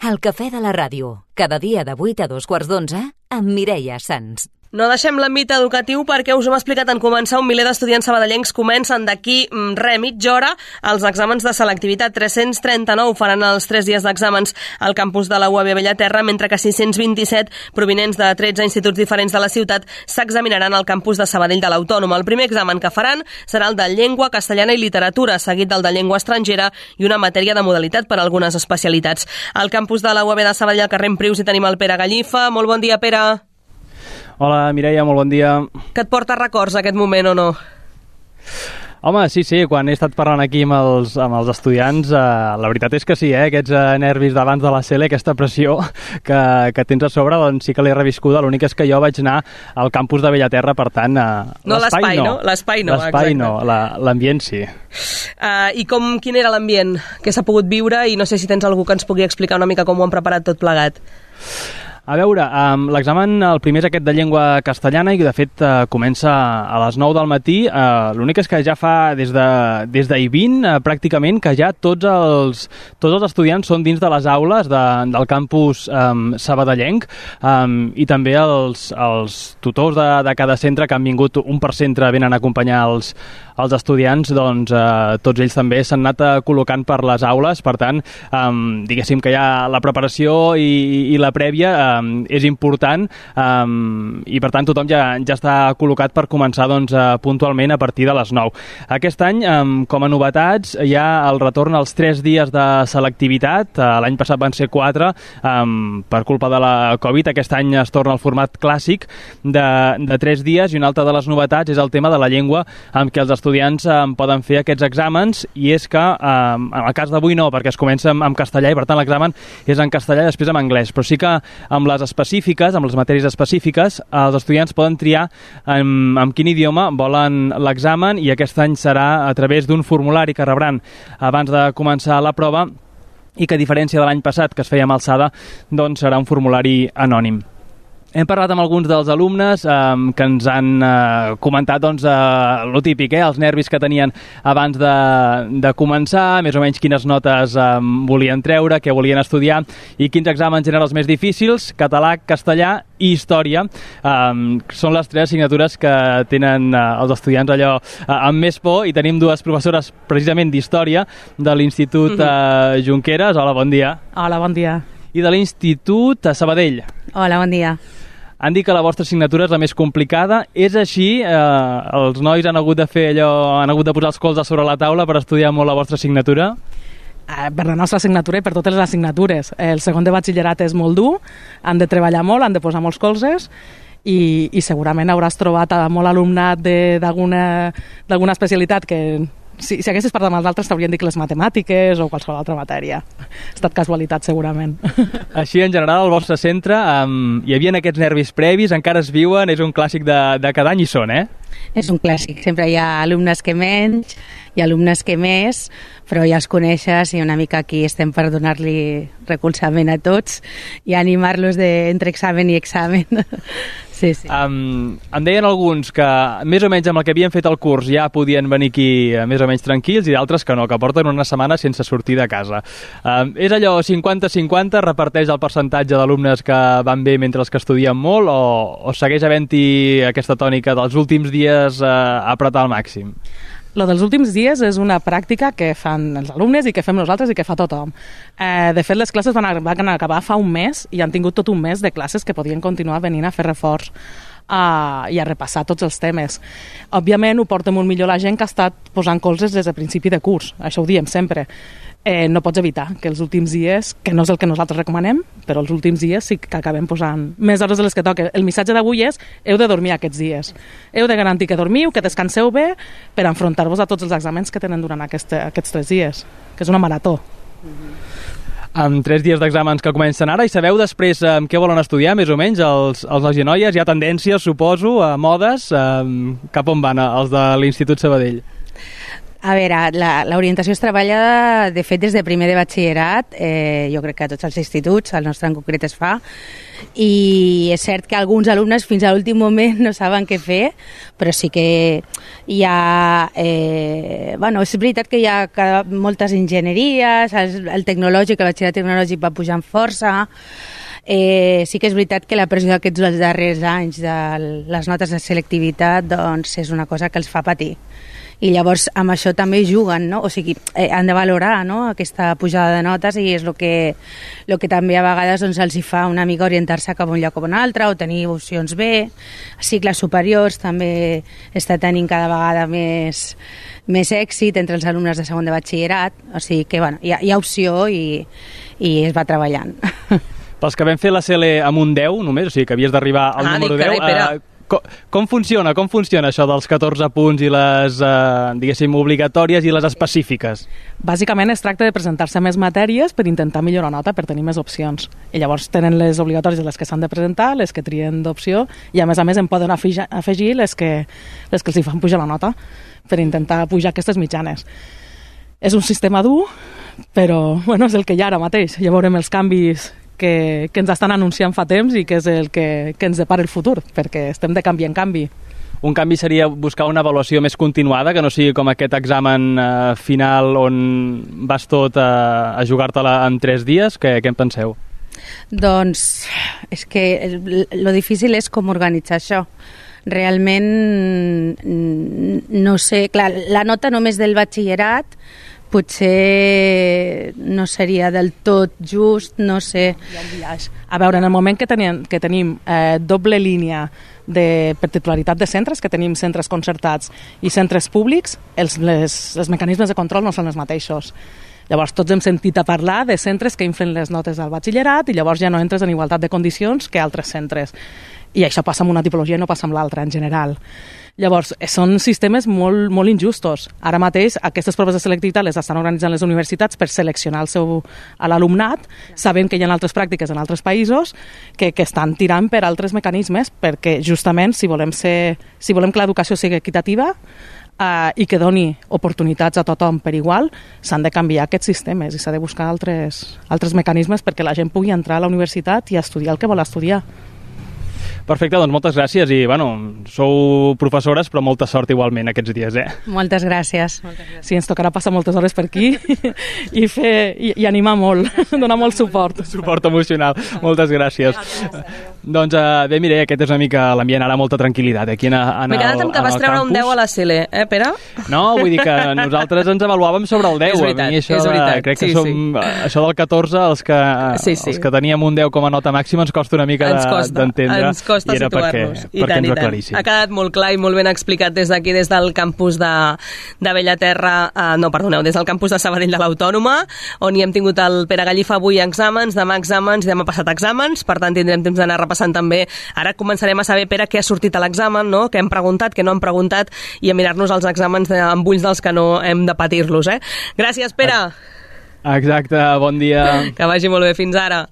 El cafè de la ràdio, cada dia de 8 a 2:15 amb Mireia Sans. No deixem l'àmbit educatiu perquè us hem explicat en començar un miler d'estudiants sabadellencs comencen d'aquí mitja hora els exàmens de selectivitat. 339 faran els 3 dies d'exàmens al campus de la UAB Bellaterra, mentre que 627 provinents de 13 instituts diferents de la ciutat s'examinaran al campus de Sabadell de l'Autònoma. El primer examen que faran serà el de llengua castellana i literatura, seguit del de llengua estrangera i una matèria de modalitat per a algunes especialitats. Al campus de la UAB de Sabadell, al carrer Prius, hi tenim el Pere Gallifa. Molt bon dia, Pere. Hola, Mireia, molt bon dia. Que et porta records aquest moment o no? Home, sí, quan he estat parlant aquí amb els estudiants, la veritat és que sí, aquests nervis d'abans de la CL, aquesta pressió que tens a sobre, doncs sí que l'he reviscuda. L'únic és que jo vaig anar al campus de Bellaterra, per tant... L'espai no, exacte. L'ambient sí. I quin era l'ambient que s'ha pogut viure? I no sé si tens algú que ens pugui explicar una mica com ho han preparat tot plegat. A veure, l'examen, el primer és aquest de llengua castellana i de fet comença a les 9 del matí. L'únic és que ja fa des d'ahir 20 pràcticament que ja tots els estudiants són dins de les aules del campus sabadellenc i també els tutors de cada centre que han vingut un per centre venen a acompanyar els estudiants, doncs tots ells també s'han anat col·locant per les aules, per tant diguéssim que ja la preparació i la prèvia és important i per tant tothom ja està col·locat per començar doncs, puntualment a partir de les 9. Aquest any, com a novetats, hi ha el retorn als 3 dies de selectivitat. L'any passat van ser 4 per culpa de la Covid. Aquest any es torna al format clàssic de 3 dies i una altra de les novetats és el tema de la llengua amb què els estudiants poden fer aquests exàmens i és que en el cas d'avui no, perquè es comença amb castellà i per tant l'examen és en castellà i després en anglès, però sí que amb les específiques, amb les matèries específiques, els estudiants poden triar amb quin idioma volen l'examen i aquest any serà a través d'un formulari que rebran abans de començar la prova i que a diferència de l'any passat que es feia amb alçada, doncs serà un formulari anònim. Hem parlat amb alguns dels alumnes que ens han comentat doncs, lo típic, els nervis que tenien abans de començar, més o menys quines notes volien treure, què volien estudiar i quins exàmens eren els més difícils, català, castellà i història. Són les 3 assignatures que tenen els estudiants allò amb més por i tenim 2 professores precisament d'història de l'Institut Junqueras. Hola, bon dia. Hola, bon dia. I de l'Institut Sabadell. Hola, bon dia. Han dit que la vostra assignatura és la més complicada. És així? Els nois han hagut de fer allò, han hagut de posar els colzes sobre la taula per estudiar molt la vostra assignatura? Per la nostra assignatura i per totes les assignatures. El segon de batxillerat és molt dur, han de treballar molt, han de posar molts colzes i segurament hauràs trobat molt alumnat d'alguna especialitat que... Si haguessis parlat amb els altres t'haurien dit que les matemàtiques o qualsevol altra matèria. Ha estat casualitat, segurament. Així, en general, al vostre centre hi havia aquests nervis previs, encara es viuen, és un clàssic de cada any i són, eh? És un clàssic, sempre hi ha alumnes que menys i alumnes que més, però ja els coneixes i una mica aquí estem per donar-li recolzament a tots i animar-los entre examen i examen. Sí. Em deien alguns que més o menys amb el que havien fet el curs ja podien venir aquí més o menys tranquils i d'altres que no, que porten una setmana sense sortir de casa. És allò 50-50, reparteix el percentatge d'alumnes que van bé mentre els que estudien molt o segueix havent-hi aquesta tònica dels últims dies apretar al màxim? Lo dels últims dies és una pràctica que fan els alumnes i que fem nosaltres i que fa tothom. De fet, les classes van acabar fa un mes i han tingut tot un mes de classes que podien continuar venint a fer reforç i a repassar tots els temes. Òbviament, ho porta molt millor la gent que ha estat posant colzes des de principi de curs. Això ho diem sempre. No pots evitar que els últims dies, que no és el que nosaltres recomanem, però els últims dies sí que acabem posant més hores de les que toca. El missatge d'avui és: heu de dormir aquests dies. Heu de garantir que dormiu, que descanseu bé per enfrontar-vos a tots els exàmens que tenen durant aquests 3 dies, que és una marató. Amb 3 dies d'exàmens que comencen ara, i sabeu després què volen estudiar, més o menys, els nois i noies? Hi ha tendències, suposo, a modes. Cap on van els de l'Institut Sabadell? A veure, l'orientació es treballa, de fet, des de primer de batxillerat, jo crec que a tots els instituts, el nostre en concret es fa, i és cert que alguns alumnes fins a l'últim moment no saben què fer, però sí que hi ha... és veritat que hi ha moltes enginyeries, el tecnològic, el batxillerat tecnològic va pujant força. Sí que és veritat que la pressió d'aquests darrers anys de les notes de selectivitat doncs és una cosa que els fa patir. I llavors amb això també juguen, no? O sigui, han de valorar, no?, aquesta pujada de notes, i és el que també a vegades doncs, els hi fa una mica orientar-se cap a un lloc o un altre, o tenir opcions B. Cicles superiors també està tenint cada vegada més èxit entre els alumnes de segon de batxillerat, o sigui que bueno, hi ha opció i es va treballant. Pels que vam fer la CL amb un 10 només, o sigui que havies d'arribar al número 10... Com funciona això dels 14 punts i les, diguéssim, obligatòries i les específiques? Bàsicament es tracta de presentar-se més matèries per intentar millorar nota, per tenir més opcions. I llavors tenen les obligatòries les que s'han de presentar, les que trien d'opció, i a més en poden afegir les que els hi fan pujar la nota per intentar pujar aquestes mitjanes. És un sistema dur, però bueno, és el que hi ha ara mateix. Ja veurem els canvis que ens estan anunciant fa temps i que és el que ens depara el futur, perquè estem de canvi en canvi. Un canvi seria buscar una avaluació més continuada, que no sigui com aquest examen final on vas tot a jugar-te-la en 3 dies. Què en penseu? Doncs és que lo difícil és com organitzar això. Realment, no sé, clar, la nota només del batxillerat potser no seria del tot just, no sé. A veure, en el moment que tenim doble línia per titularitat de centres, que tenim centres concertats i centres públics, els mecanismes de control no són els mateixos. Llavors tots hem sentit a parlar de centres que inflen les notes al batxillerat i llavors ja no entres en igualtat de condicions que altres centres. I això passa amb una tipologia i no passa amb l'altra, en general. Llavors, són sistemes molt, molt injustos. Ara mateix, aquestes proves de selectivitat les estan organitzant les universitats per seleccionar l'alumnat, sabent que hi ha altres pràctiques en altres països que estan tirant per altres mecanismes, perquè justament, si volem que l'educació sigui equitativa i que doni oportunitats a tothom per igual, s'han de canviar aquests sistemes i s'ha de buscar altres mecanismes perquè la gent pugui entrar a la universitat i estudiar el que vol estudiar. Perfecte, doncs moltes gràcies i, bueno, sou professores, però molta sort igualment aquests dies, Moltes gràcies. Sí, ens tocarà passar moltes hores per aquí i animar molt, donar molt suport. Suport emocional. Moltes gràcies. Doncs bé, Mireia, aquest és una mica l'ambient, ara molta tranquil·litat aquí en el campus. M'he quedat amb que vas treure un 10 a la CL, Pere? No, vull dir que nosaltres ens avaluàvem sobre el 10. És veritat, és veritat. Crec que això del 14, els que teníem un 10 com a nota màxima, ens costa una mica d'entendre. Ens costa situar-nos. I tant. Ha quedat molt clar i molt ben explicat des d'aquí, des del campus de Bellaterra, des del campus de Sabadell de l'Autònoma, on hi hem tingut el Pere Gallifa avui exàmens, demà passat exàmens, per tant tindrem temps d'anar repassant també. Ara començarem a saber, Pere, què ha sortit a l'examen, no? Què hem preguntat, què no hem preguntat, i a mirar-nos els exàmens amb ulls dels que no hem de patir-los. Gràcies, Pere. Exacte, bon dia. Que vagi molt bé, fins ara.